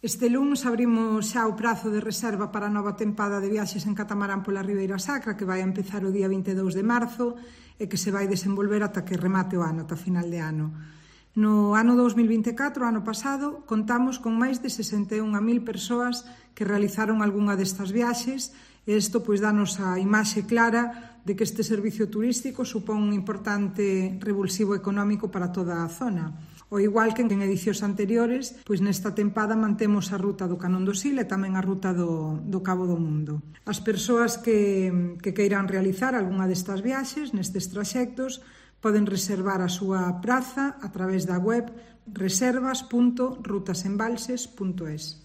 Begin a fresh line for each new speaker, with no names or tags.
Este luns abrimos xa o prazo de reserva para a nova tempada de viaxes en catamarán pola Ribeira Sacra, que vai a empezar o día 22 de marzo e que se vai desenvolver ata que remate o ano, ata final de ano. No ano 2024, ano pasado, contamos con máis de 61.000 persoas que realizaron algunha destas viaxes e isto danos a imaxe clara de que este servicio turístico supón un importante revulsivo económico para toda a zona. O igual que en edicións anteriores, nesta tempada mantemos a ruta do Canón do Sil e tamén a ruta do Cabo do Mundo. As persoas que queiran realizar algunha destas viaxes nestes traxectos poden reservar a súa praza a través da web reservas.rutasembalses.es.